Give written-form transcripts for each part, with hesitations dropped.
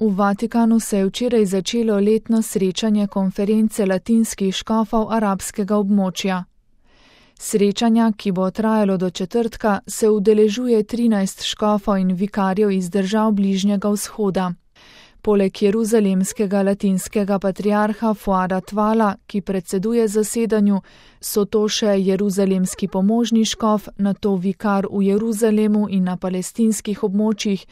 V Vatikanu se je včeraj začelo letno srečanje konference latinskih škofov arabskega območja. Srečanja, ki bo trajalo do četrtka, se udeležuje 13 škofov in vikarjev iz držav Bližnjega vzhoda. Poleg jeruzalemskega latinskega patriarha Fuada Tvala, ki predseduje zasedanju, so to še jeruzalemski pomožni škof, nato vikar v Jeruzalemu in na palestinskih območjih,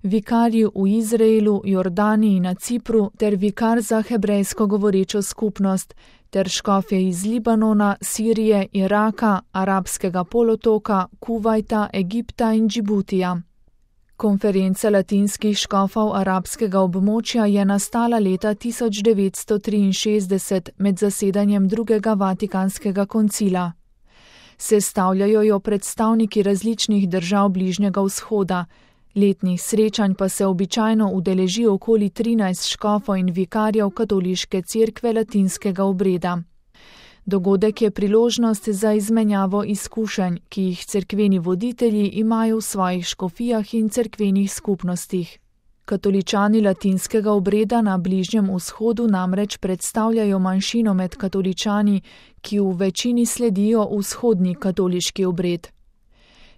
vikarji v Izraelu, Jordaniji in na Cipru ter vikar za hebrejsko govorečo skupnost, ter škofje iz Libanona, Sirije, Iraka, Arabskega polotoka, Kuvajta, Egipta in Džibutija. Konferenca latinskih škofov arabskega območja je nastala leta 1963 med zasedanjem drugega Vatikanskega koncila. Sestavljajo jo predstavniki različnih držav Bližnjega vzhoda. Letnih srečanj pa se običajno udeleži okoli 13 škofov in vikarjev katoliške cerkve latinskega obreda. Dogodek je priložnost za izmenjavo izkušenj, ki jih cerkveni voditelji imajo v svojih škofijah in cerkvenih skupnostih. Katoličani latinskega obreda na Bližnjem vzhodu namreč predstavljajo manjšino med katoličani, ki v večini sledijo vzhodni katoliški obred.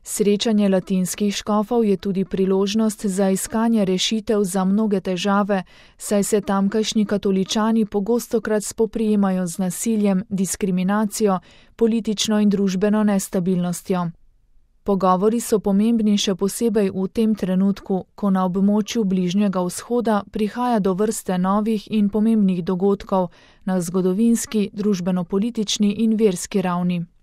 Srečanje latinskih škofov je tudi priložnost za iskanje rešitev za mnoge težave, saj se tamkajšnji katoličani pogostokrat spoprijemajo z nasiljem, diskriminacijo, politično in družbeno nestabilnostjo. Pogovori so pomembni še posebej v tem trenutku, ko na območju Bližnjega vzhoda prihaja do vrste novih in pomembnih dogodkov na zgodovinski, družbeno-politični in verski ravni.